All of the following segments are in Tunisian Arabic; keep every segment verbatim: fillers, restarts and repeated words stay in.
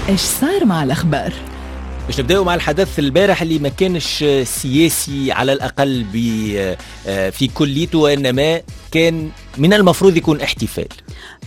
ايش صار مع الاخبار؟ باش نبداو مع الحدث البارح اللي ما كانش سياسي على الاقل في كليته، وانما كان من المفروض يكون احتفال.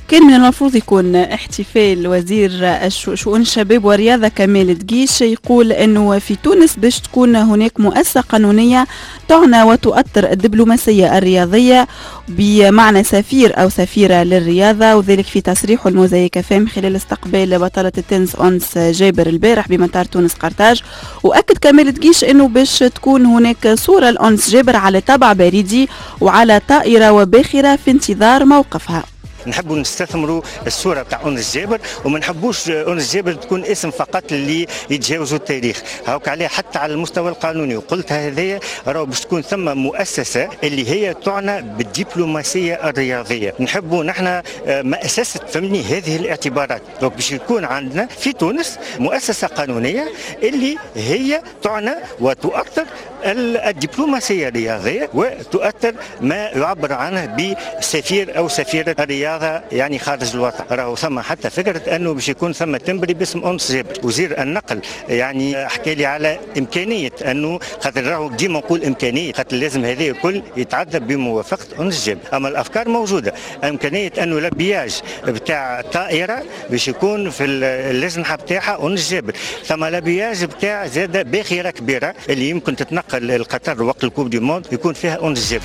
كان من المفروض يكون احتفال. وزير شؤون الشباب والرياضة كمال دقيش يقول أنه في تونس باش تكون هناك مؤسسة قانونية تعنى وتؤطر الدبلوماسية الرياضية بمعنى سفير أو سفيرة للرياضة، وذلك في تصريحه الموزايك فام خلال استقبال بطلة التنس أنس جابر البارح بمطار تونس قرطاج. وأكد كمال دقيش أنه باش تكون هناك صورة لأنس جابر على طابع بريدي وعلى طائرة وباخرة في انتظار موقفها. نحبوا نستثمروا الصورة تاع أنس جابر، وما نحبوش أنس جابر تكون اسم فقط اللي يتجاوزوا التاريخ، هاوك عليه حتى على المستوى القانوني. وقلت هذايا راهو باش تكون ثم مؤسسة اللي هي تعنى بالدبلوماسيه الرياضية، نحبوا نحن مؤسسة فهمني هذه الاعتبارات، donc باش يكون عندنا في تونس مؤسسة قانونية اللي هي تعنى وتؤطر الدبلوماسية الرياضية وتؤطر ما يعبر عنه بسفير او سفيره الرياضة يعني خارج الوطن. راهو ثم حتى فكرة انه باش يكون ثم timbre باسم انس جابر. وزير النقل يعني حكى لي على امكانية انه خاطر راهو ديما نقول امكانية، خاطر لازم هذا الكل يتعدى بموافقة انس جابر، اما الافكار موجودة. امكانية انه l'habillage بتاع طائره باش يكون في اللجنة بتاعها انس جابر، ثم l'habillage بتاع زاد باخره كبيرة اللي يمكن تتنقل القطر وقت ال coupe du monde يكون فيها انس جابر.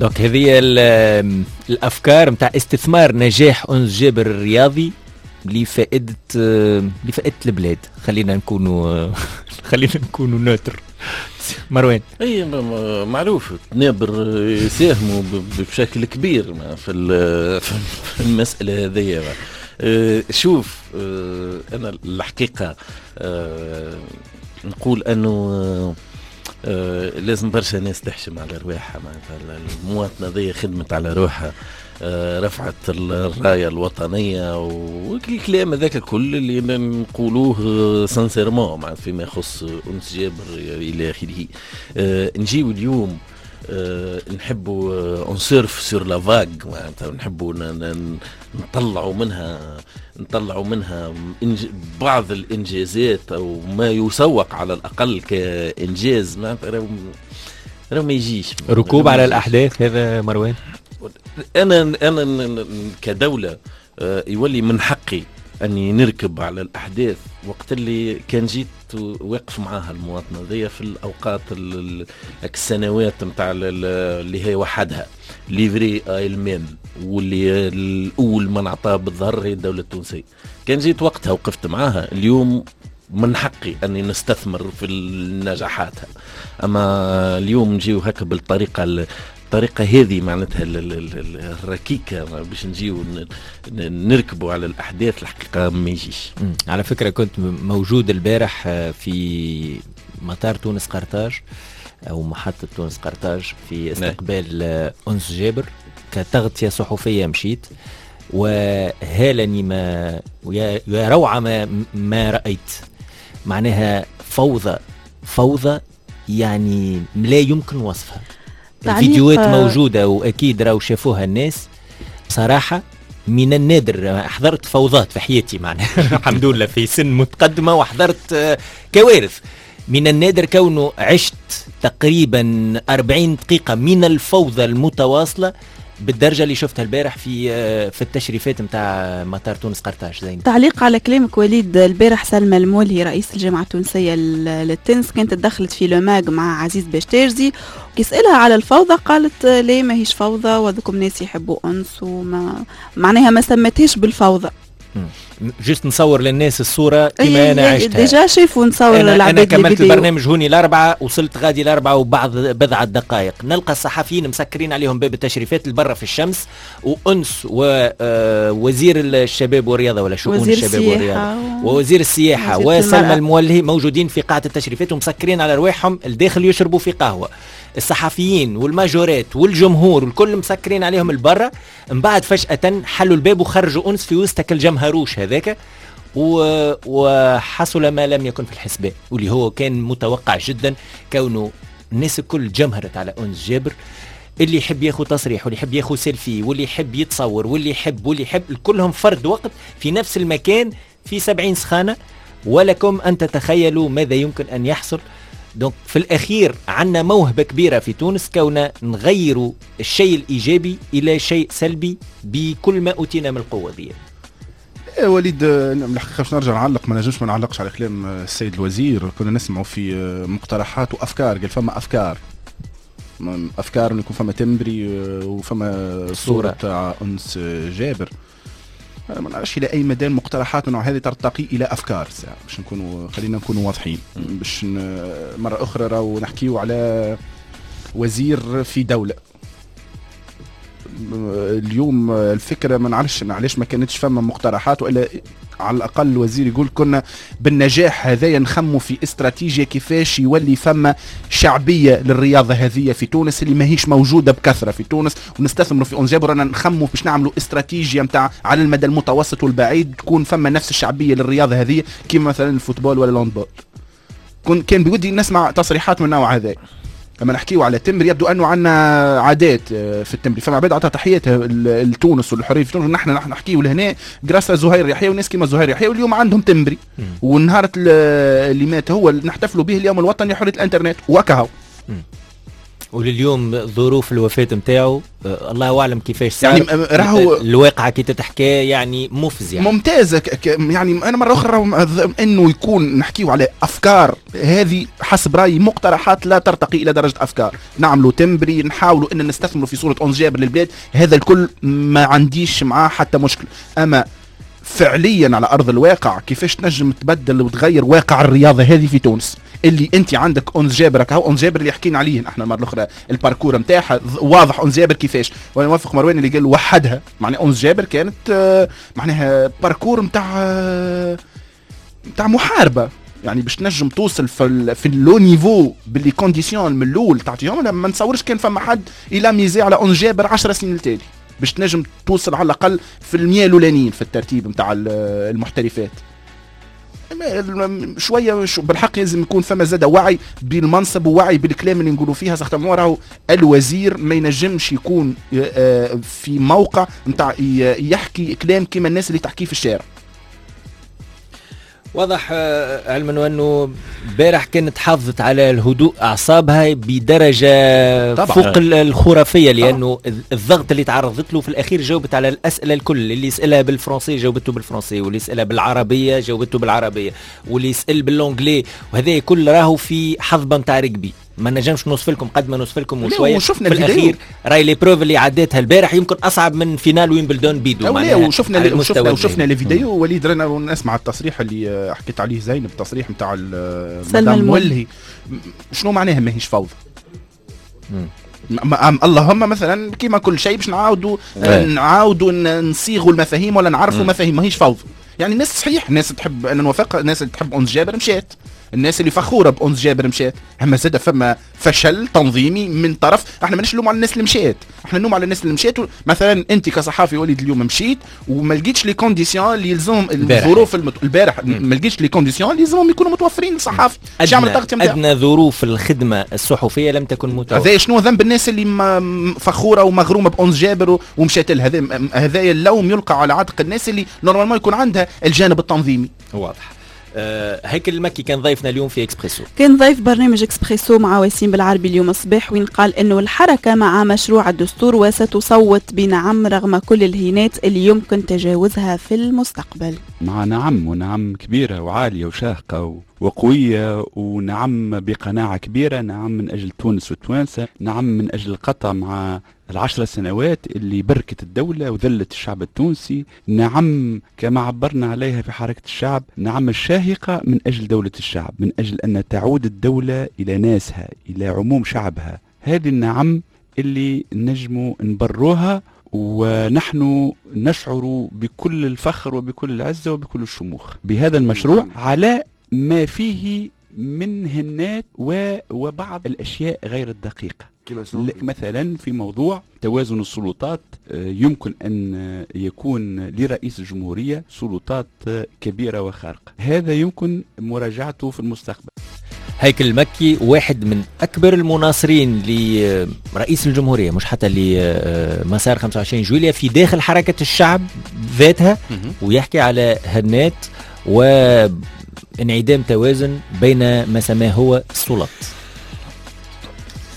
donc هذه الافكار نتاع استثمار نجاح انس جابر الرياضي لفائدة لفائدة البلاد. خلينا نكونوا خلينا نكونوا neutre. مروان، اي معروف تنابر يساهموا بشكل كبير في في المسالة هذه. شوف، انا الحقيقة نقول انه آه لازم برشا ناس تحشم على رواحها، معناتها المواطنة ذي خدمت على روحها، آه رفعت الراية الوطنية والكلام هذاك الكل اللي نقولوه sincèrement معناتها فيما يخص أنس جابر إلى آخره. آه نجيو اليوم آه نحبوا on surfe sur la vague، معناتها نحبوا نطلعوا منها نطلعوا منها بعض الانجازات او ما يسوق على الاقل كانجاز، معناتها راهو ما يجيش ركوب على الاحداث هذا مروان. انا انا كدولة يولي من حقي اني نركب على الاحداث وقت اللي كان جيت واقف معاها المواطنة ذي في الاوقات السنوات نتاع اللي هي وحدها livrée à elle-même، واللي الاول من عطاه بالظهر هي الدولة التونسية. كان جيت وقتها وقفت معاها، اليوم من حقي اني نستثمر في نجاحاتها. اما اليوم نجيو هكا بالطريقة الطريقة هذه معناتها الركيكة باش نجيو نركبوا على الأحداث، الحقيقة ما يجيش. على فكرة كنت موجود البارح في مطار تونس قرطاج أو محطة تونس قرطاج في استقبال أنس جابر كتغطية صحفية، مشيت وهالني ما ويا روعة ما, ما رأيت، معناها فوضى فوضى يعني لا يمكن وصفها. الفيديوهات موجودة وأكيد راهو شافوها الناس. بصراحة من النادر حضرت فوضات في حياتي معناها الحمد لله في سن متقدمة وحضرت كوارث. من النادر كونه عشت تقريبا أربعين دقيقة من الفوضى المتواصلة بالدرجة اللي شفتها البارح في في التشريفات نتاع مطار تونس قرطاج. زين، تعليق على كلامك وليد، البارح سلمى المولهي رئيس الجامعة التونسية للتنس كانت تدخلت في Le Mag مع عزيز باشتاجزي، وكيسالها على الفوضى قالت ليه ماهيش فوضى وذوكم ناس يحبوا انس، وما معناها ما سمتهاش بالفوضى. juste نصور للناس الصورة كما انا عشتها. déjà شافوا نصور للعباد. انا كملت البرنامج هوني الاربعة، وصلت غادي الاربعة وبعض بضعة دقائق نلقى الصحفيين مسكرين عليهم باب التشريفات البرة في الشمس، وانس ووزير الشباب والرياضة ولا شؤون الشباب والرياضة ووزير السياحة وسلمى المولهي موجودين في قاعة التشريفات ومسكرين على رواحهم الداخل يشربوا في قهوة. الصحفيين والماجورات والجمهور والكل مسكرين عليهم البرة. من بعد فجأة حلوا الباب وخرجوا أنس في وسط الجمهروش هذاك، وحصل ما لم يكن في الحسبان واللي هو كان متوقع جدا، كونه الناس الكل جمهرت على أنس جابر. اللي يحب ياخذ تصريح واللي يحب ياخذ سيلفي واللي يحب يتصور واللي يحب واللي يحب، كلهم فرد وقت في نفس المكان في سبعين سخانه، ولكم ان تتخيلوا ماذا يمكن ان يحصل. donc في الاخير عندنا موهبة كبيرة في تونس كوننا نغيروا الشيء الايجابي الى شيء سلبي بكل ما اوتينا من القوة دي. إيه وليد، الحقيقة باش نرجع نعلق، ما نجمش ما نعلقش على كلام السيد الوزير. كنا نسمعوا في مقترحات وافكار، قال فما افكار افكار انه يكون فما timbre وفما صوره تاع انس جابر. ما نعرفش الى اي مدى المقترحات من هذه ترتقي الى افكار ساعة. باش نكونوا خلينا نكونوا واضحين، باش مرة اخرى راهو نحكيو على وزير في دولة. اليوم الفكرة ما نعرفش علاش ما كانتش فما مقترحات، والا على الاقل الوزير يقول كنا بالنجاح هذايا نخموا في استراتيجية كيفاش يولي فما شعبية للرياضة هذه في تونس اللي ماهيش موجودة بكثرة في تونس، ونستثمروا في أنس جابر. رانا نخموا باش نعملوا استراتيجية نتاع على المدى المتوسط والبعيد تكون فما نفس الشعبية للرياضة هذه كيما مثلا ال football ولا ال handball. كان بودي نسمع تصريحات من النوع هذا. لما نحكيو على timbre يبدو انه عندنا عادات في ال timbre، فما عباد عطى تحياتها لتونس والحرية في تونس. نحن نحن نحكيو لهنا grâce à زهير يحيى وناس كيما زهير يحيى، واليوم عندهم timbre، والنهار اللي مات هو نحتفلوا به اليوم الوطني لحرية الانترنت وكهو. ولليوم ظروف الوفاة نتاعو الله اعلم كيفاش صار، يعني راهو الواقعة كي تتحكى يعني مفزعة ممتازة. يعني انا مرة اخرى انه يكون نحكيو على افكار هذه حسب رايي مقترحات لا ترتقي الى درجة افكار. نعملوا timbre، نحاولوا ان نستثمروا في صورة أنس جابر للبلاد، هذا الكل ما عنديش معاه حتى مشكل. اما فعليا على ارض الواقع كيفاش تنجم تبدل وتغير واقع الرياضة هذه في تونس اللي انت عندك أنس جابر، هاو أنس جابر اللي حكينا عليه احنا المرة الاخرى، ال parcours نتاعها واضح أنس جابر كيفاش. وانا موافق مروان اللي قال وحدها، معناها أنس جابر كانت معناها parcours نتاع نتاع محاربة، يعني باش تنجم توصل في في le niveau ب les conditions من الاول تعطيهم. ما نتصورش كان فما حد الى misé على أنس جابر عشر سنين التالي باش تنجم توصل على الاقل في المية الاولانيين في الترتيب نتاع المحترفات. شوية بالحق لازم يكون فما زاد وعي بالمنصب ووعي بالكلام اللي نقولوا فيها. ساختموا راهو الوزير ما ينجمش يكون في موقع نتاع يحكي كلام كيما الناس اللي تحكيه في الشارع. واضح، علما انه امبارح كانت حافظت على الهدوء اعصابها بدرجة طبعا فوق الخرافية، لانه الضغط اللي تعرضت له في الاخير جاوبت على الاسئلة الكل، اللي يسالها بالفرنسي جاوبته بالفرنسي، واللي يسالها بالعربية جاوبته بالعربية، واللي يسال بال anglais، وهذا كل راهو في حظبه نتاع ركبي. ما نجمش نوصف لكم قد ما نوصف لكم وشوية في الاخير راي les preuves اللي عديتها البارح يمكن اصعب من finale ويمبلدون بيدو. معناها وشفنا وشفنا وشفنا les vidéos. وليد رانا نسمع التصريح اللي حكيت عليه زينب، التصريح نتاع مدام مولهي، شنو معناها ماهيش فوضى؟ اللهم مثلا كيما كل شيء باش نعاودوا نعاودوا نصيغوا المفاهيم ولا نعرفوا مفاهيم، ماهيش فوضى. يعني الناس صحيح الناس تحب، انا نوافق، الناس اللي تحب أنس جابر مشات، الناس اللي فخورة بأنس جابر مشات، اما زاد فما فشل تنظيمي من طرف. احنا ماناش نلوم على الناس اللي مشات، احنا نلوم على الناس اللي مشات. مثلا انت كصحافي وليد اليوم مشيت وما لقيتش les conditions اللي يلزمهم الظروف المت... البارح ما لقيتش les conditions اللي يلزمهم يكونوا متوفرين للصحافي. ادنى, أدنى ظروف الخدمة الصحفية لم تكن متوفرة. هذا شنو ذنب الناس اللي ما فخورة ومغرومه بأنس جابر ومشات لها؟ هذا هذا اللوم يلقى على عاتق الناس اللي normalement يكون عندها الجانب التنظيمي. واضح. هيكل المكي كان ضيفنا اليوم في اكسبريسو، كان ضيف برنامج اكسبريسو مع وسيم بالعربي اليوم الصباح، وين قال انه الحركة مع مشروع الدستور وستصوت بنعم رغم كل الهينات اللي يمكن تجاوزها في المستقبل. مع نعم، ونعم كبيرة وعالية وشاهقة وقوية، ونعم بقناعة كبيرة، نعم من أجل تونس والتوانسة، نعم من أجل القطع مع العشر سنوات اللي بركت الدولة وذلت الشعب التونسي، نعم كما عبرنا عليها في حركة الشعب، نعم الشاهقة من أجل دولة الشعب، من أجل أن تعود الدولة إلى ناسها، إلى عموم شعبها. هذه النعم اللي نجموا نبروها، ونحن نشعر بكل الفخر وبكل العزة وبكل الشموخ بهذا المشروع على ما فيه من هنات وبعض الأشياء غير الدقيقة. مثلا في موضوع توازن السلطات، يمكن أن يكون لرئيس الجمهورية سلطات كبيرة وخارقة، هذا يمكن مراجعته في المستقبل. هيكل المكي واحد من أكبر المناصرين لرئيس الجمهورية، مش حتى لمسار خمسة وعشرين جويلية، في داخل حركة الشعب ذاتها، ويحكي على هنات وانعدام توازن بين ما سماه هو السلط.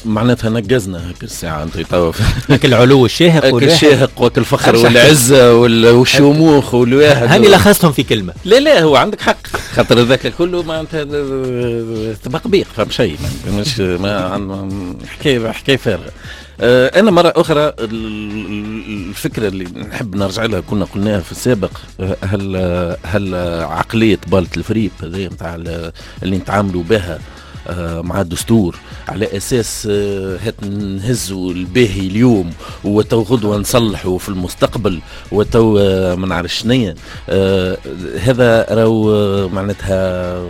معناتها نقزنا هيك الساعة أنت توا هيك العلو الشاهق والشاهق وك الفخر والعزة والشموخ والواحد، هاني لخصتهم في كلمة. لا لا هو عندك حق، خاطر ذاك كله معناتها تبقبيق، فهم شيء مش ما حكاية حكاية فارغة. أنا مرة أخرى الفكرة اللي نحب نرجع لها كنا قلناها في السابق، هل هل عقلية بالة الفريب هذه نتاع اللي نتعاملوا بها مع الدستور على اساس هات نهزوا الباهي اليوم وتو غدوه نصلحوا في المستقبل وتو ما نعرف شنيا، هذا راهو معناتها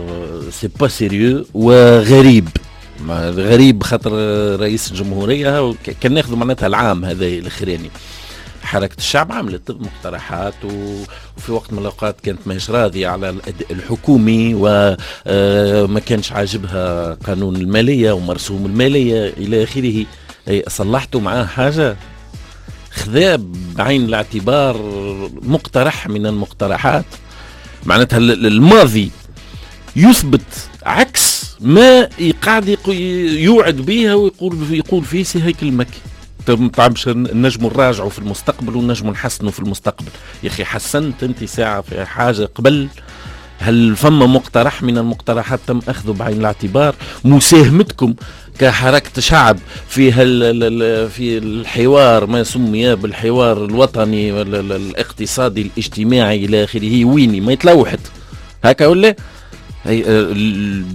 c'est pas sérieux وغريب غريب، خاطر رئيس الجمهورية كان ناخذ معناتها العام هذا الاخراني حركة الشعب عملت مقترحات، وفي وقت من الأوقات كانت ماهيش راضية على الأداء الحكومي وما كانش عاجبها قانون المالية ومرسوم المالية إلى آخره. صلحتوا معاه حاجة؟ خذا بعين الاعتبار مقترح من المقترحات؟ معناتها الماضي يثبت عكس ما قاعد يوعد بها ويقول يقول فيه سي هيكل المكي. باش نجموا نراجعوا في المستقبل ونجموا نحسنوا في المستقبل. يا اخي حسنت انت ساعة في حاجة قبل؟ هل فما مقترح من المقترحات تم اخذه بعين الاعتبار؟ مساهمتكم كحركه شعب في هال في الحوار ما سمي بالحوار الوطني الاقتصادي الاجتماعي الى اخره، ويني ما يتلوحت هكا ولا؟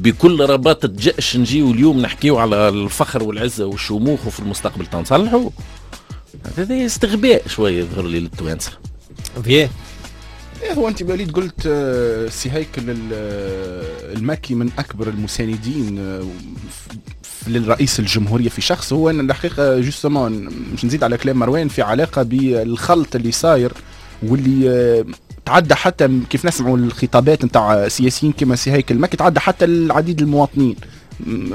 بكل رباطة جأش نجيو اليوم نحكيو على الفخر والعزة والشموخ وفي المستقبل تنصلحوا؟ هذا استغباء شوية يظهر لي للتوانسة. فيه إيه هو أنت وليد قلت سي هيكل المكي من أكبر المساندين للرئيس الجمهورية في شخص. هو أن الحقيقة justement مش نزيد على كلام مروان في علاقة بالخلط اللي صاير واللي تعدى حتى كيف نسمعوا الخطابات نتاع سياسيين كما سي هيكل المكي تعدى حتى العديد المواطنين.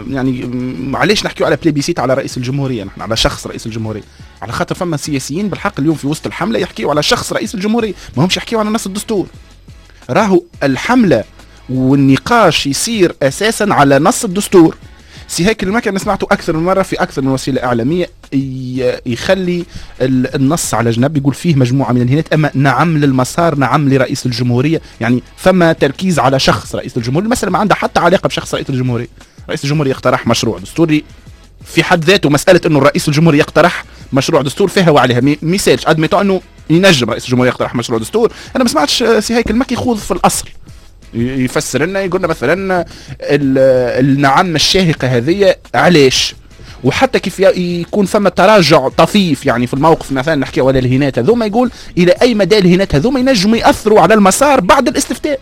يعني معليش نحكيو على plébiscite على رئيس الجمهورية، نحن على شخص رئيس الجمهورية، على خاطر فما سياسيين بالحق اليوم في وسط الحملة يحكيو على شخص رئيس الجمهورية، ما همش يحكيو على نص الدستور. راهو الحملة والنقاش يصير اساسا على نص الدستور. سي هيكل المكي انا سمعته اكثر من مرة في اكثر من وسيلة اعلامية يخلي النص على جنب، يقول فيه مجموعة من الهنات، اما نعم للمسار، نعم لرئيس الجمهورية. يعني ثم تركيز على شخص رئيس الجمهورية، المسالة ما عندها حتى علاقة بشخص رئيس الجمهورية. رئيس الجمهورية يقترح مشروع دستوري في حد ذاته، مسالة انه الرئيس الجمهورية يقترح مشروع دستور فيها وعليها ميسالش، admettons انه ينجم رئيس الجمهورية يقترح مشروع دستور. انا ما سمعتش سي هيكل المكي يخوض في الاصل، يفسر لنا يقول لنا مثلا النعم الشاهقه هذه علاش، وحتى كيف يكون فما تراجع طفيف يعني في الموقف، مثلا نحكي على الهنات هذوما، يقول الى اي مدى الهنات هذوما ينجموا ياثروا على المسار بعد الاستفتاء.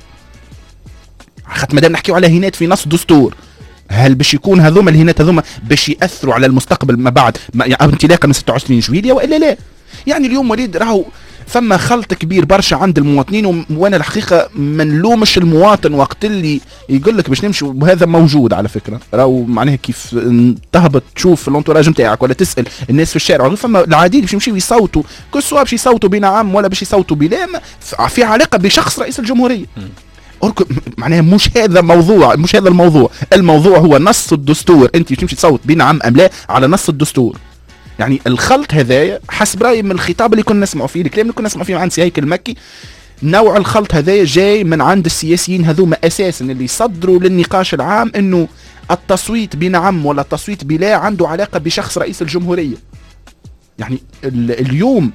خاطر مادام نحكيو على هنات في نص دستور، هل باش يكون هذوما الهنات هذوما باش ياثروا على المستقبل ما بعد ما يعني انطلاقا من ستة وعشرين جويلية والا لا؟ يعني اليوم وليد راهو فما خلط كبير برشا عند المواطنين، وانا الحقيقة ما نلومش المواطن وقت اللي يقول لك باش نمشي، وهذا موجود على فكرة، راهو معناها كيف تهبط تشوف l'entourage نتاعك ولا تسال الناس في الشارع، فما العديد باش يمشيو يصوتوا، que ce soit باش يصوتوا بنعم ولا باش يصوتوا بلا، في علاقة بشخص رئيس الجمهورية. معناها مش هذا موضوع، مش هذا الموضوع، الموضوع هو نص الدستور، انت تمشي تصوت بنعم ام لا على نص الدستور. يعني الخلط هذايا حسب رايي من الخطاب اللي كنا نسمعوا فيه، الكلام اللي كنا نسمعوا فيه من عند سي هيكل المكي، نوع الخلط هذايا جاي من عند السياسيين هذوما اساسا اللي صدروا للنقاش العام انه التصويت بنعم ولا التصويت بلا عنده علاقة بشخص رئيس الجمهورية. يعني اليوم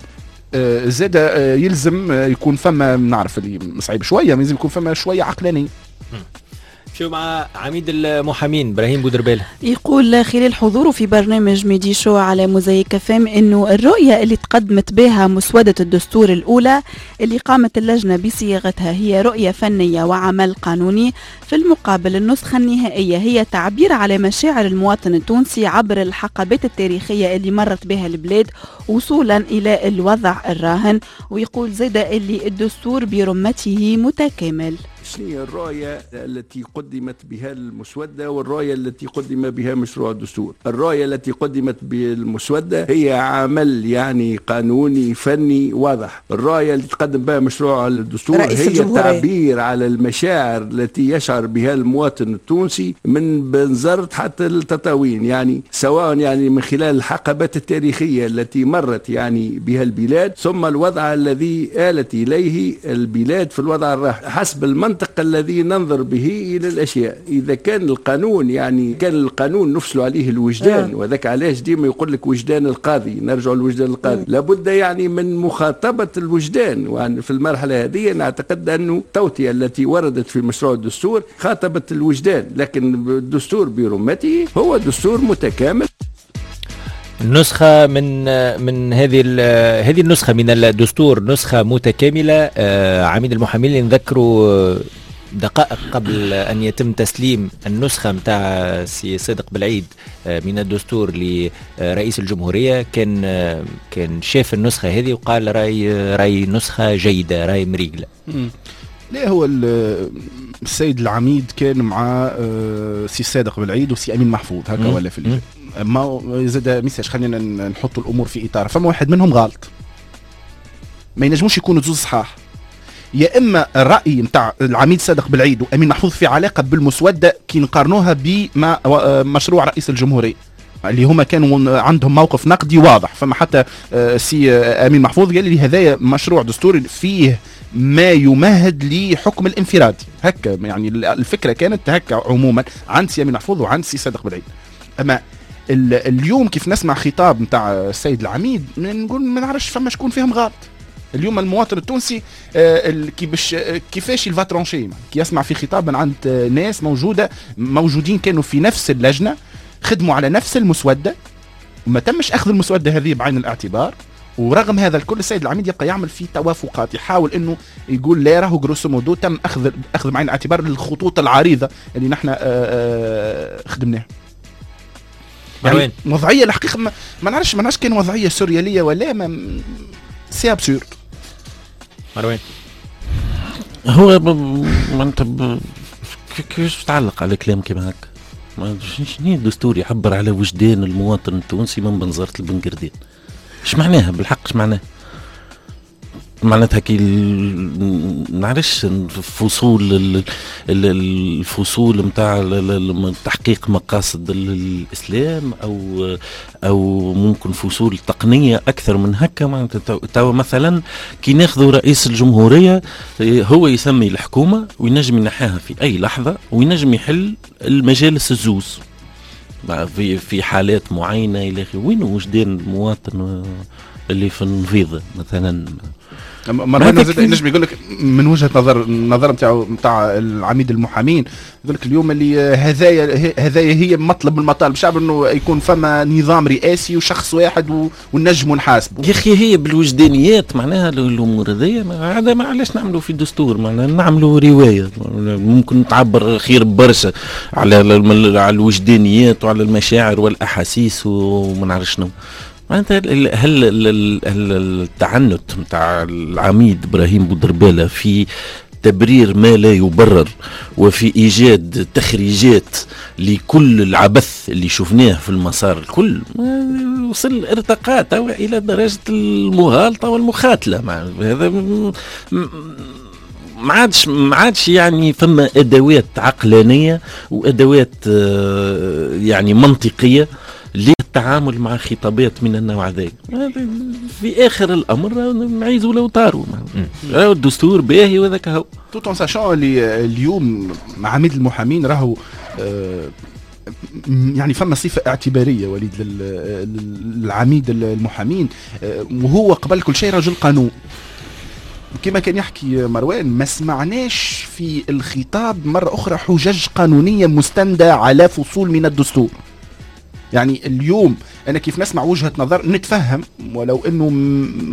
زاد يلزم يكون فما، نعرف اللي صعيب شوية، لازم يكون فما شوية عقلانية. شو مع عميد المحامين ابراهيم بودربالة يقول خلال حضوره في برنامج ميدي شو على موزايك فام انه الرؤية اللي تقدمت بها مسودة الدستور الأولى اللي قامت اللجنة بصياغتها هي رؤية فنية وعمل قانوني، في المقابل النسخة النهائية هي تعبير على مشاعر المواطن التونسي عبر الحقبات التاريخية اللي مرت بها البلاد وصولا إلى الوضع الراهن. ويقول زيدا اللي الدستور برمته متكامل. شنو هي الرؤية التي قدمت بها المسودة والرؤية التي قدم بها مشروع الدستور. الرؤية التي قدمت بالمسودة هي عمل يعني قانوني فني واضح. الرؤية التي تقدم بها مشروع الدستور هي التعبير على المشاعر التي يشعر بها المواطن التونسي من بنزرت حتى التطاوين، يعني سواء يعني من خلال الحقبات التاريخية التي مرت يعني بها البلاد، ثم الوضع الذي آلت إليه البلاد في الوضع الراهن حسب المنطق الذي ننظر به إلى الأشياء. إذا كان القانون يعني كان القانون نفصل عليه الوجدان، وذاك علاش ديما يقول لك وجدان القاضي، نرجع لوجدان القاضي، لابد يعني من مخاطبة الوجدان. وفي في المرحلة هذه نعتقد أنه التوطئة التي وردت في مشروع الدستور خاطبت الوجدان، لكن الدستور برمته هو دستور متكامل. نسخة من من هذه هذه النسخة من الدستور نسخة متكاملة. عميد المحامين اللي نذكروا دقائق قبل أن يتم تسليم النسخة متاع سي صادق بالعيد من الدستور لرئيس الجمهورية، كان كان شاف النسخة هذه وقال راي راي نسخة جيدة، راي مريقلة. لا، هو السيد العميد كان مع سي صادق بالعيد وسي أمين محفوظ هكا ولا في اللجنة. ما زاد message، خلينا نحط الامور في اطار. فما واحد منهم غلط، ما ينجموش يكونوا زوز صحاح. يا اما الراي نتاع العميد صادق بالعيد وامين محفوظ في علاقة بالمسوده كي نقارنوها بما مشروع رئيس الجمهورية اللي هما كانوا عندهم موقف نقدي واضح. فما حتى سي امين محفوظ قال لي هذايا مشروع دستوري فيه ما يمهد لحكم الانفرادي هكا، يعني الفكرة كانت هكا عموما عند سي امين محفوظ وعند سي صادق بالعيد. اما اليوم كيف نسمع خطاب نتاع السيد العميد نقول ما نعرفش فما شكون فيهم غلط. اليوم المواطن التونسي كي باش كيفاش il va trancher كي يسمع في خطاب من عند ناس موجودة موجودين كانوا في نفس اللجنة، خدموا على نفس المسوده وما تمش اخذ المسوده هذه بعين الاعتبار، ورغم هذا الكل السيد العميد يبقى يعمل في توافقات، يحاول انه يقول لا راهو grosso modo تم اخذ اخذ بعين الاعتبار الخطوط العريضة اللي نحن خدمناها. يعني وضعية الحقيقة ما, ما نعرفش ما نعرفش كان وضعية سورياليه ولا ما، c'est absurde. مروان هو ما انت كيفاش تعلق على كلام كيما هكا؟ شنو الدستور يعبر على وجدان المواطن التونسي من بنزرت لبنقردين؟ اش معناها بالحق؟ اش معناها؟ معناتها كي نعرفش فصول الفصول نتاع تحقيق مقاصد الاسلام او او ممكن فصول تقنية اكثر من هكا. معناتها تو مثلا كي ناخذوا رئيس الجمهورية هو يسمي الحكومة وينجم ينحاها في اي لحظة وينجم يحل المجالس الزوز في في حالات معينة الى اخره. وين وجدان المواطن اللي في النفيضه مثلا؟ مروان زاد نجم يقول لك من وجهه نظر النظر نتاع نتاع العميد المحامين، يقول لك اليوم اللي هذايا هذايا هي مطلب من المطالب الشعب انه يكون فما نظام رئاسي وشخص واحد ونجموا نحاسبه. يا اخي هي بالوجدانيات معناها الامور هذيا، هذا ما علاش نعملوا في الدستور، معناها نعملوا رواية ممكن تعبر خير برشا على على الوجدانيات وعلى المشاعر والاحاسيس وما نعرف شنو. معناتها هل التعنت نتاع العميد ابراهيم بودربالة في تبرير ما لا يبرر وفي ايجاد تخريجات لكل العبث اللي شفناه في المسار الكل وصل ارتقى الى درجه المغالطة والمخاتله. هذا ما عادش ما عادش يعني فما ادوات عقلانية وادوات يعني منطقية للتعامل مع خطابات من النوع ذاك. في اخر الامر معيز ولو طاروا الدستور باهي وذاك هو. tout en sachant اللي اليوم مع عميد المحامين راهو يعني فما صفة اعتبارية وليد للعميد المحامين، وهو قبل كل شيء رجل قانون. كما كان يحكي مروان ما سمعناش في الخطاب مرة أخرى حجج قانونية مستندة على فصول من الدستور. يعني اليوم أنا كيف نسمع وجهة نظر نتفهم، ولو أنه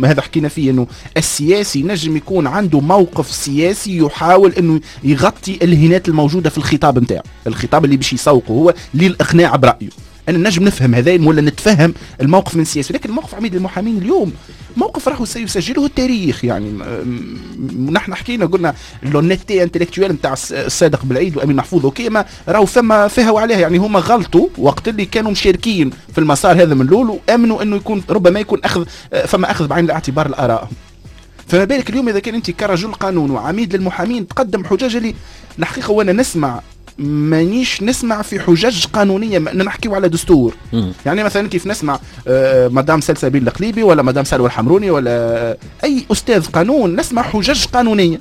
هذا حكينا فيه أنه السياسي نجم يكون عنده موقف سياسي يحاول أنه يغطي الهنات الموجودة في الخطاب نتاعو، الخطاب اللي باش يسوقه هو للإقناع برأيه. انا نجم نفهم هذا ولا نتفهم الموقف من السياسي، لكن موقف عميد المحامين اليوم موقف راهو سيسجله التاريخ. يعني نحن حكينا قلنا l'honnêteté intellectuelle نتاع الصادق بالعيد وامين محفوظ OK، ما راهو فما فيها وعليها، يعني هما غلطوا وقت اللي كانوا مشاركين في المسار هذا من الاول وامنوا انه يكون ربما يكون اخذ فما اخذ بعين الاعتبار الاراء. فما بالك اليوم اذا كان انت كرجل قانون وعميد للمحامين تقدم حجج اللي الحقيقة وانا نسمع مانيش نسمع في حجج قانونية، نحكيو على دستور. مم. يعني مثلا كيف نسمع مدام سلسبيل القليبي ولا مدام سلوى الحمروني ولا اي استاذ قانون نسمع حجج قانونية.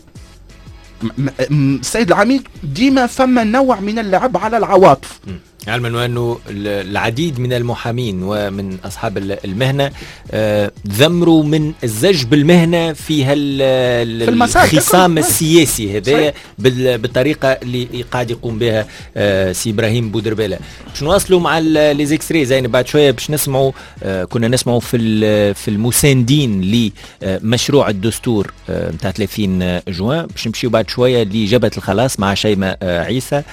السيد العميد ديما فما نوع من اللعب على العواطف. علما وأنه العديد من المحامين ومن أصحاب المهنة ذمروا من الزج بالمهنة في هالخصام السياسي هذا بالطريقة اللي قاعد يقوم بها سي إبراهيم بودربالة. باش نواصلوا مع les extraits زين بعد شوية باش نسمعوا، كنا نسمعوا في في المساندين لمشروع الدستور نتاع ثلاثين جوان، باش نمشيو بعد شوية لجبهة الخلاص مع شيماء عيسى.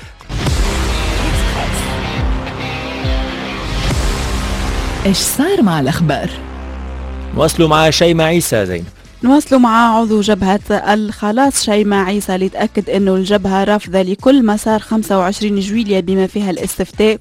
ايش صار مع الأخبار؟ نواصلوا مع شيماء عيسى زينب. نواصلوا مع عضو جبهة الخلاص شيماء عيسى اللي تأكد أنه الجبهة رافضة لكل مسار خمسة وعشرين جويلية بما فيها الاستفتاء،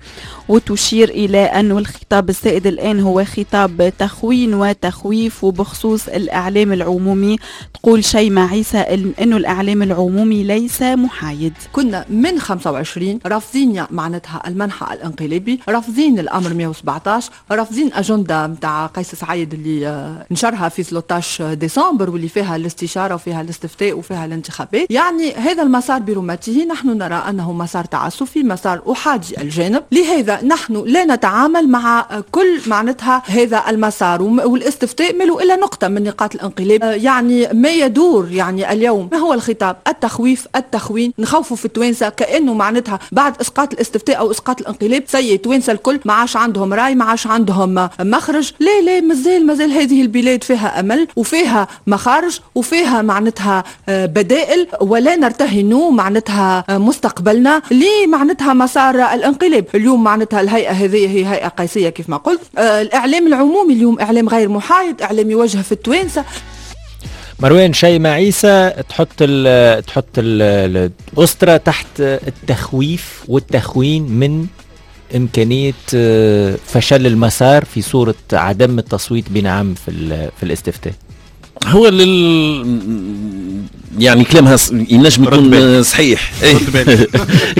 وتشير إلى أنه الخطاب السائد الآن هو خطاب تخوين وتخويف. وبخصوص الإعلام العمومي تقول شيماء عيسى أنه الإعلام العمومي ليس محايد. كنا من خمسة وعشرين رافضين معناتها المنحى الانقلابي، رافضين الأمر مئة وسبعة عشر، رافضين أجندة متاع قيس سعيد اللي نشرها في ثلاثة عشر ديسمبر واللي فيها الاستشارة وفيها الاستفتاء وفيها الانتخابات. يعني هذا المسار برمته نحن نرى أنه مسار تعسفي، مسار أحادي الجانب، لهذا نحن لا نتعامل مع كل معناتها هذا المسار. والاستفتاء ملو إلا نقطة من نقاط الانقلاب. يعني ما يدور يعني اليوم ما هو الخطاب؟ التخويف، التخوين، نخوفوا في التوانسة كأنه معناتها بعد إسقاط الاستفتاء أو إسقاط الانقلاب سي التوانسة الكل ما عاش عندهم رأي، ما عاش عندهم مخرج. لا لا، مازال مازال هذه البلاد فيها أمل وفيها مخارج وفيها معناتها بدائل، ولا نرتهن معناتها مستقبلنا لمعناتها مسار الانقلاب. اليوم معناتها الهيئة هذه هي هيئة قيسية كيف ما قلت. الإعلام العمومي اليوم إعلام غير محايد، إعلام يوجه في التوانسة. مروان، شيماء عيسى تحط ال تحط ال الأسرة تحت التخويف والتخوين من إمكانية فشل المسار في صورة عدم التصويت بنعم في في الاستفتاء. هو لل يعني كلامها ينجم يكون صحيح،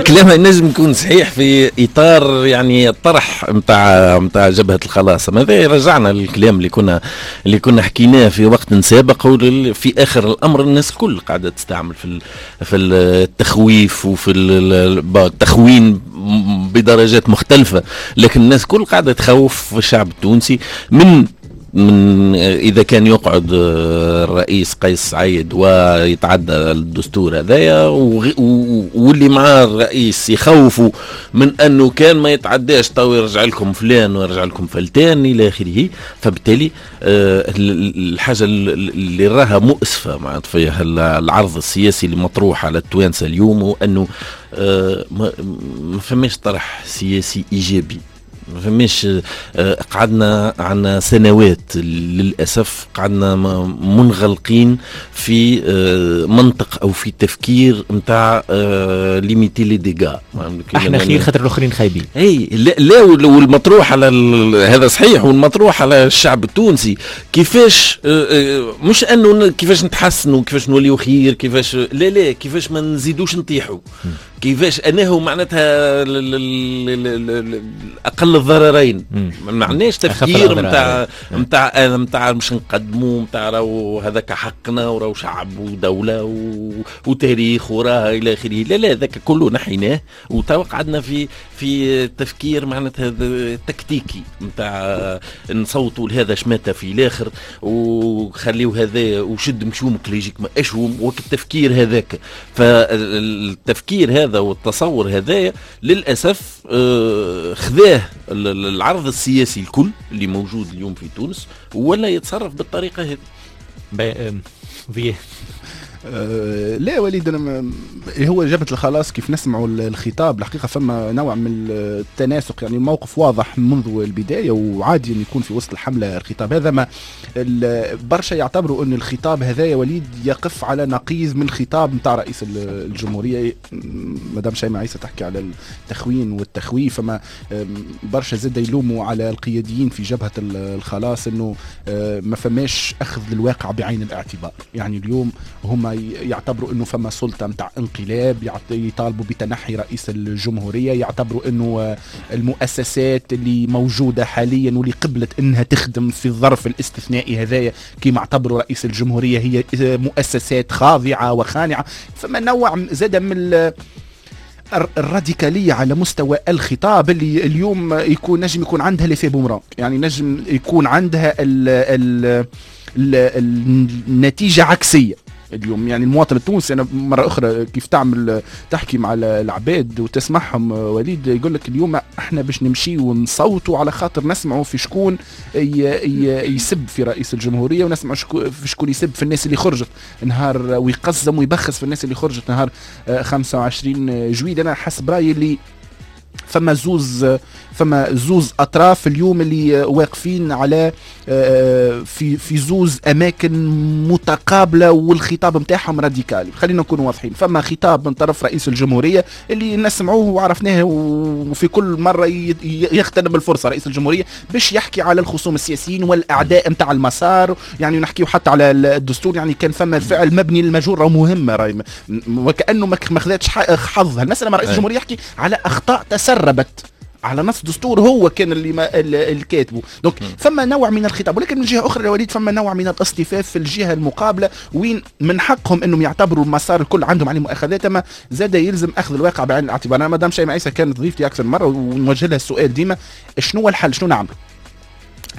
كلامها ينجم يكون صحيح في اطار يعني الطرح نتاع نتاع جبهة الخلاص. هذا رجعنا للكلام اللي كنا اللي كنا حكيناه في وقت سابق. في اخر الامر الناس الكل قاعدة تستعمل في في التخويف وفي التخوين بدرجات مختلفة، لكن الناس الكل قاعدة تخوف الشعب التونسي من من إذا كان يقعد الرئيس قيس سعيد ويتعدى الدستور هذايا، واللي مع الرئيس يخوفوا من أنه كان ما يتعداش تو يرجع لكم فلان ويرجع لكم فلتان إلى آخره. فبالتالي الحاجة اللي راها مؤسفة معناتها في العرض السياسي اللي مطروح على التوانسة اليوم هو أنه ما فماش طرح سياسي إيجابي، ما فماش. قعدنا عنا سنوات للأسف قعدنا منغلقين في منطق أو في تفكير متاع limiter les dégâts. احنا خير خاطر الآخرين خايبين. اي لا, لا، والمطروح على هذا صحيح، والمطروح على الشعب التونسي كيفاش، مش أنه كيفاش نتحسنوا، كيفاش نوليو خير، كيفاش لا لا كيفاش ما نزيدوش نطيحوا، كيفاش أنه معناتها أقل الضررين. ما عندناش تفكير نتاع نتاع نتاع مش نقدموا نتاع راهو هذاك حقنا وراهو شعب ودولة و... وتاريخ وراه الى اخره. لا لا، ذاك كله نحيناه وتوا قعدنا في في تفكير معناتها تكتيكي نتاع نصوتوا لهذا شماته في الاخر وخليو هذا وشد مشومك اللي يجيك ما اشوم وك التفكير هذاك. فالتفكير هذا والتصور هذا للاسف خذاه العرض السياسي الكل اللي موجود اليوم في تونس ولا يتصرف بالطريقة هذه. في أه لا وليد، أنا هو جبهة الخلاص كيف نسمعوا الخطاب الحقيقة فما نوع من التناسق، يعني الموقف واضح منذ البداية، وعادي أن يكون في وسط الحملة الخطاب هذا. ما برشا يعتبروا أن الخطاب هذا يا وليد يقف على نقيض من الخطاب نتاع رئيس الجمهورية. مدام شيماء عيسى تحكي على التخوين والتخويف، فما برشا زاد يلوموا على القياديين في جبهة الخلاص أنه ما فماش أخذ للواقع بعين الاعتبار. يعني اليوم هما يعتبروا انه فما سلطة متاع انقلاب، يطالبوا بتنحي رئيس الجمهورية، يعتبروا انه المؤسسات اللي موجودة حاليا واللي قبلت انها تخدم في الظرف الاستثنائي هذايا كما اعتبروا رئيس الجمهورية هي مؤسسات خاضعة وخانعه. فما نوع زاد من الراديكالية على مستوى الخطاب اللي اليوم يكون نجم يكون عندها l'effet boomerang، يعني نجم يكون عندها ال ال النتيجة عكسية اليوم. يعني المواطن التونسي، انا مرة اخرى كيف تعمل تحكي مع العباد وتسمعهم وليد، يقول لك اليوم احنا باش نمشي ونصوتوا على خاطر نسمعوا في شكون يسب في رئيس الجمهورية، ونسمعوا في شكون يسب في الناس اللي خرجت نهار ويقزم ويبخس في الناس اللي خرجت نهار خمسة وعشرين جويلية. انا حسب رايي اللي فما زوز فما زوز اطراف اليوم اللي واقفين على في في زوز اماكن متقابله، والخطاب نتاعهم راديكالي. خلينا نكون واضحين، فما خطاب من طرف رئيس الجمهورية اللي نسمعوه وعرفناه، وفي كل مرة يغتنم الفرصة رئيس الجمهورية باش يحكي على الخصوم السياسيين والاعداء نتاع المسار، يعني نحكيو حتى على الدستور. يعني كان فما فعل مبني للمجهول راه مهمة، راهي وكانه ما خذتش حظها المسالة. رئيس الجمهورية يحكي على اخطاء تسربت على نص دستور هو كان اللي ما اللي كاتبه. donc فما نوع من الخطاب، ولكن من جهة اخرى يا وليد فما نوع من الاصطفاف في الجهة المقابلة، وين من حقهم انهم يعتبروا المسار الكل عندهم عليه مؤاخذات، اما زاد يلزم اخذ الواقع بعين الاعتبار. انا مدام شيماء عيسى كانت ضيفتي اكثر مرة ونوجه لها السؤال ديما، شنو الحل، شنو نعمل؟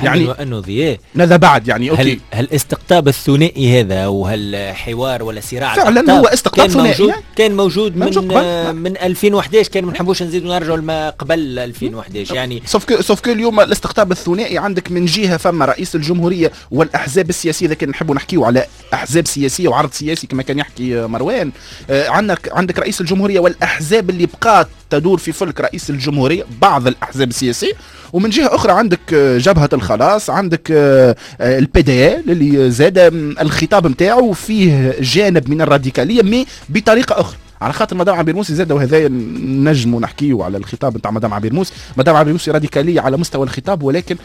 يعني انه ضياء ماذا بعد؟ يعني okay، هل هالاستقطاب الثنائي هذا وهالحوار ولا صراع فعلا هو استقطاب كان ثنائي موجود، كان موجود من من ألفين وأحد عشر، كان ما نحبوش نزيدوا نرجعوا لما قبل ألفين وأحد عشر. يعني sauf que sauf que اليوم الاستقطاب الثنائي عندك من جهة فما رئيس الجمهورية والاحزاب السياسية، اذا كان نحبوا نحكيوا على احزاب سياسية وعرض سياسي كما كان يحكي مروان، عندك عندك رئيس الجمهورية والاحزاب اللي بقات تدور في فلك رئيس الجمهورية، بعض الاحزاب السياسية، ومن جهة اخرى عندك جبهة الخلاص، عندك ال PDL اللي زاد الخطاب نتاعو فيه جانب من الراديكالية mais بطريقة اخرى. على خاطر مدام عبير موسي زاد، وهذا نجموا نحكيو على الخطاب نتاع مدام عبير موسي، مدام عبير موسي راديكالية على مستوى الخطاب، ولكن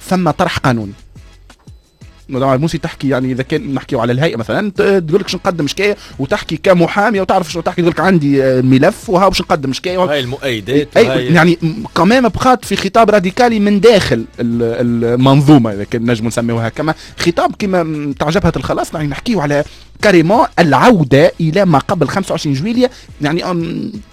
ثم طرح قانوني. مدام عبير موسي تحكي، يعني اذا كان نحكيو على الهيئة مثلا، تقول لك باش نقدم شكاية، وتحكي كمحاميه وتعرف شنو تحكي، تقول لك عندي ملف وها باش نقدم شكاية، هاي المؤيدات، أي يعني كمان بقات في خطاب راديكالي من داخل المنظومة اذا كان نجم نسميوها كما خطاب كما تاع جبهة الخلاص. يعني نحكيو على carrément العودة الى ما قبل خمسة وعشرين جويلية، يعني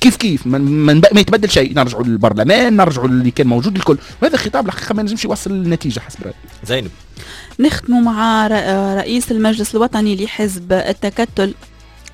كيف كيف من من ما يتبدل شيء، نرجعوا للبرلمان، نرجعوا اللي كان موجود الكل. وهذا خطاب الحقيقة ما نجمش يوصل للنتيجة حسب رايي. زينب، نختم مع رئيس المجلس الوطني لحزب التكتل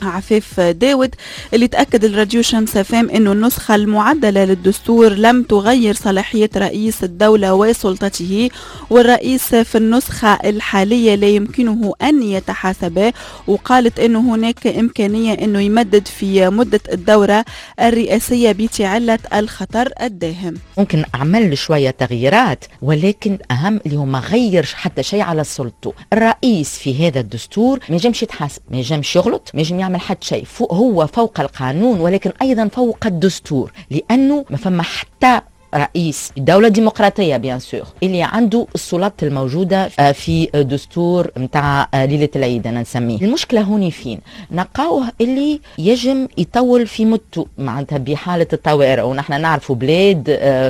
عفيف داود اللي تأكد الراديو شمس فام أنه النسخة المعدلة للدستور لم تغير صلاحية رئيس الدولة وسلطته، والرئيس في النسخة الحالية لا يمكنه أن يتحاسب. وقالت أنه هناك إمكانية أنه يمدد في مدة الدورة الرئاسية بتعلة الخطر الداهم. ممكن عمل شوية تغييرات، ولكن أهم اللي هو ما غيرش حتى شيء على سلطته. الرئيس في هذا الدستور ما ينجمش يتحاسب، ما ينجمش يغلط، ما ينجم يعمل حتى شيء، هو فوق القانون ولكن أيضا فوق الدستور، لأنه ما فما حتى رئيس دولة ديمقراطية bien sûr اللي عنده السلطات الموجودة في دستور متاع ليلة العيد أنا نسميه. المشكلة هوني فين؟ نلقاوه اللي يجم يطول في مدته معناتها بحالة الطوارئ، ونحن نعرفوا بلاد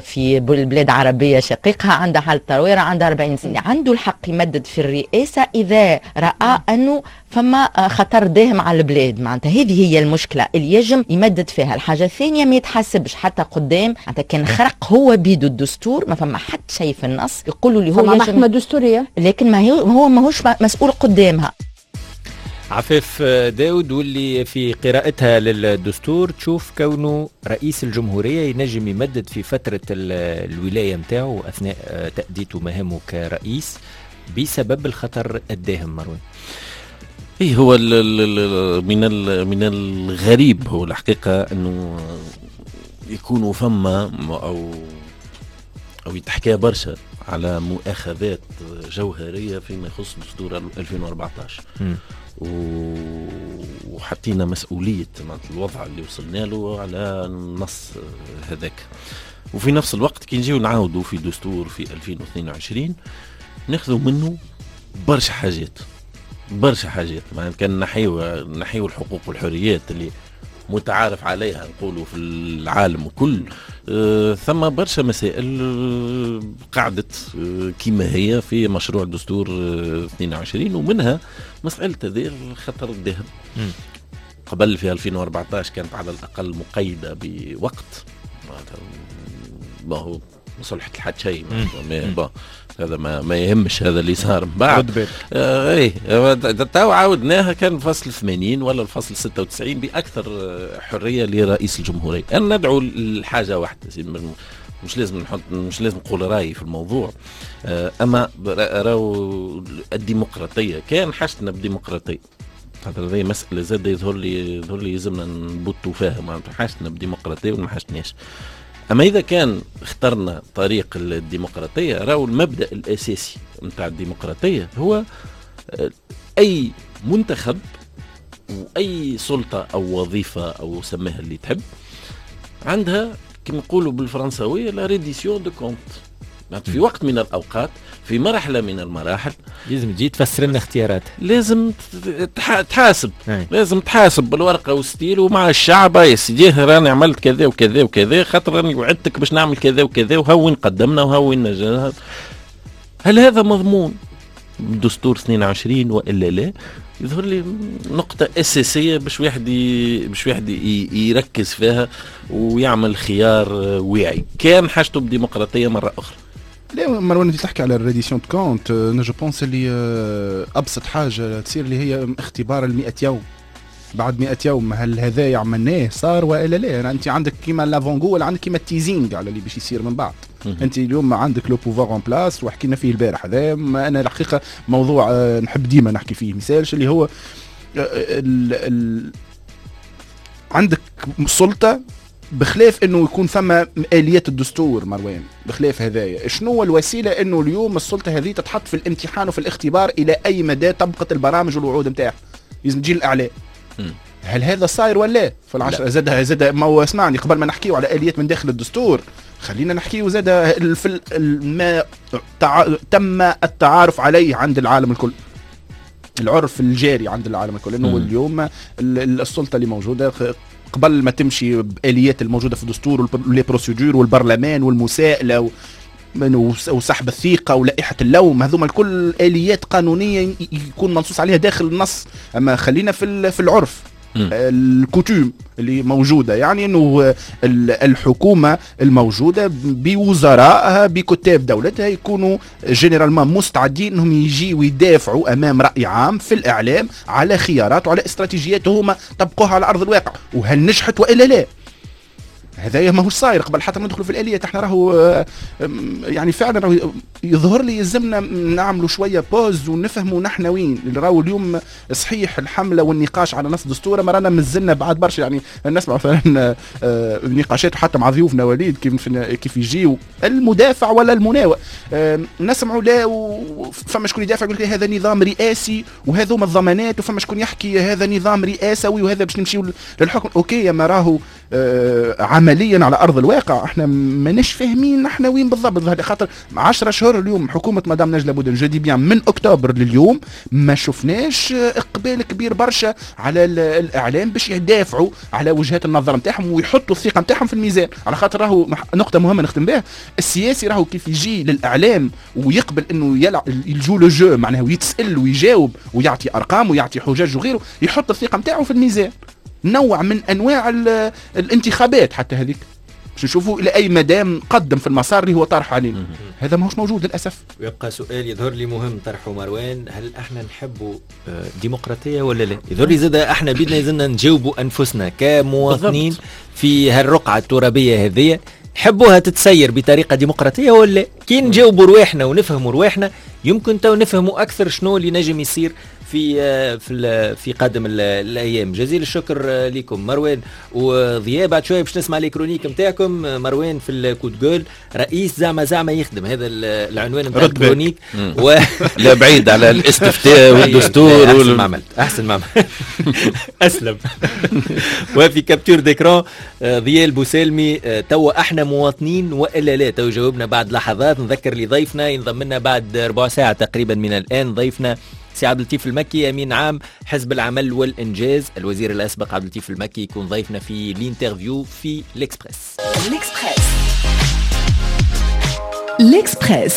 في بلاد عربية شقيقها عندها حالة طوارئ عندها أربعين سنة، عنده الحق يمدد في الرئاسة إذا رأى أنه فما خطر داهم على البلاد، معناتها هذه هي المشكلة اللي يجم يمدد فيها. الحاجة الثانية ما يتحاسبش حتى قدام، معناتها كان خرق هو بيدو الدستور، ما فما حتى شيء في النص يقولوا اللي هو يجم محكمة دستورية، لكن ما هو هو ماهوش مسؤول قدامها. عفاف داود واللي في قراءتها للدستور تشوف كونه رئيس الجمهورية ينجم يمدد في فترة الولاية متاعه أثناء تأديته مهامه كرئيس بسبب الخطر الداهم. مروان، ايه هو ال ال من ال من الغريب هو الحقيقة انه يكونوا فما او او يتحكى برشا على مؤاخذات جوهرية فيما يخص دستور ألفين وأربعطاش، وحطينا مسؤولية الوضع اللي وصلنا له على النص هذاك. وفي نفس الوقت كي نجيو نعاودوا في دستور في ألفين واثنين وعشرين ناخذوا منه برشا حاجات برشا حاجات معناتها كان نحيو نحيو الحقوق والحريات اللي متعارف عليها نقولوا في العالم كل، آه ثم برشا مسائل آه قعدت آه كما هي في مشروع دستور آه اثنين وعشرين، ومنها مسألة هذه الخطر الدهم. قبل في ألفين وأربعطاش كانت على الأقل مقيدة بوقت، ما هو ما صلحت لحد شيء، ما هذا ما ما يهمش، هذا اللي صار من بعد. آه ايه تو عاودناها كان الفصل ثمانين ولا الفصل ستة وتسعين باكثر حرية لرئيس الجمهورية. انا ندعو لحاجة واحدة، مش لازم نحط مش لازم نقول رايي في الموضوع، آه اما راهو الديمقراطية كان حاجتنا بديمقراطيه، خاطر هذه مسالة زاد يظهر لي يظهر لي يلزمنا نبطوا فيها، معناتها حاجتنا بديمقراطيه ولا ما حاجتناش. أما إذا كان اخترنا طريق الديمقراطية، راهو المبدأ الأساسي متاع الديمقراطية هو أي منتخب وأي سلطة أو وظيفة أو سماها اللي تحب عندها كما نقولوا بالفرنساوية la reddition de comptes. في وقت من الأوقات في مرحلة من المراحل لازم تجي تفسر لنا اختيارات، لازم تحاسب أي. لازم تحاسب بالورقة والستيل ومع الشعب، يا سيدي راني عملت كذا وكذا وكذا خاطر راني وعدتك باش نعمل كذا وكذا، وهو قدمنا وهو نجحنا. هل هذا مضمون بدستور اثنين وعشرين وإلا لا؟ يظهر لي نقطة أساسية باش واحد ي... باش واحد ي... يركز فيها ويعمل خيار واعي كان حاجته بديمقراطية مرة أخرى. لا مروان انت تحكي على ال reddition de comptes، انا je pense اللي ابسط حاجة تصير اللي هي اختبار المئة يوم. بعد مئة يوم هل هذا عملناه صار والا لا؟ يعني انت عندك كيما l'avant-goût ولا عندك كيما ال teasing على اللي باش يصير من بعد. انت اليوم عندك le pouvoir en place وحكينا فيه البارح هذا، انا الحقيقة موضوع نحب ديما نحكي فيه مثالش اللي هو ال ال عندك سلطة بخلاف انه يكون ثم اليات الدستور مروان، بخلاف هذايا شنو الوسيلة انه اليوم السلطة هذه تتحط في الامتحان وفي الاختبار الى اي مدى طبقت البرامج والوعود نتاعها؟ لازم تجي الاعلام. هل هذا صاير ولا في العشرة؟ زاد زاد ما هو اسمعني، قبل ما نحكيو على اليات من داخل الدستور خلينا نحكيو زاد في ما تع... تم التعارف عليه عند العالم الكل، العرف الجاري عند العالم الكل، انه اليوم السلطة اللي موجودة قبل ما تمشي بآليات الموجودة في الدستور و les procédures والبرلمان والمساءلة وسحب الثقة ولائحة اللوم، هذوما الكل آليات قانونية يكون منصوص عليها داخل النص. أما خلينا في في العرف ال coutume اللي موجودة، يعني أنه الحكومة الموجودة بوزرائها بكتاب دولتها يكونوا généralement مستعدين أنهم يجي ويدافعوا أمام رأي عام في الإعلام على خيارات وعلى استراتيجيات هما طبقوها على أرض الواقع، وهل نجحت وإلا لا. هذا ماهوش صاير قبل حتى ما ندخلوا في الآلية. احنا راهو يعني فعلا راهو يظهر لي يلزمنا نعملوا شوية pause ونفهموا نحن وين راهو اليوم. صحيح الحملة والنقاش على نص دستور ما رانا مازلنا بعد برشا، يعني نسمع مثلا نقاشات حتى مع ضيوفنا وليد كيف كيف يجيو المدافع ولا المناوئ، نسمعوا لا فما شكون يدافع يقول لك هذا نظام رئاسي وهذوما الضمانات، وفما شكون يحكي هذا نظام رئاسوي وهذا باش نمشيو للحكم. OK، ما راهو عمليا على ارض الواقع احنا ماناش فاهمين احنا وين بالضبط، خاطر عشرة شهور اليوم حكومة مدام نجلاء بودن je dis bien من اكتوبر لليوم ما شفناش اقبال كبير برشا على الاعلام باش يدافعوا على وجهات النظر نتاعهم ويحطوا الثقة نتاعهم في الميزان. على خاطر راهو نقطة مهمة نختم بها، السياسي راهو كيف يجي للاعلام ويقبل انه يلعب il joue le jeu معناه ويتسال ويجاوب ويعطي ارقام ويعطي حجج وغيره، يحط الثقة نتاعو في الميزان، نوع من انواع الانتخابات حتى هذيك باش نشوفوا الى اي مدى قدم في المسار اللي هو طرح علينا. هذا ماهوش موجود للاسف. ويبقى سؤال يظهر لي مهم طرحه مروان، هل احنا نحبوا ديمقراطية ولا لا؟ يظهر لي زاد احنا بيدنا لازمنا نجاوبوا انفسنا كمواطنين في هالرقعه الترابيه هذه، نحبوها تتسير بطريقة ديمقراطية ولا؟ كي نجاوبوا رواحنا ونفهموا رواحنا يمكن تو نفهموا اكثر شنو اللي نجم يصير في في في قادم الايام. جزيل الشكر لكم مروان وضياء. بعد شوية باش نسمع les chroniques نتاعكم. مروان في ال coup de gueule، رئيس زعما زعما يخدم، هذا العنوان نتاع ال chronique و... لا بعيد على الاستفتاء والدستور. احسن وال... ما عملت، احسن ما عملت، اسلم. وفي capture d'écran ضياء البوسالمي، توا احنا مواطنين والا لا؟ تو جاوبنا بعد لحظات. نذكر لضيفنا ينضم لنا بعد ربع ساعة تقريبا من الان، ضيفنا سي عبد اللطيف المكي امين عام حزب العمل والانجاز، الوزير الاسبق عبد اللطيف المكي يكون ضيفنا في l'interview في l'Express. l'Express l'Express.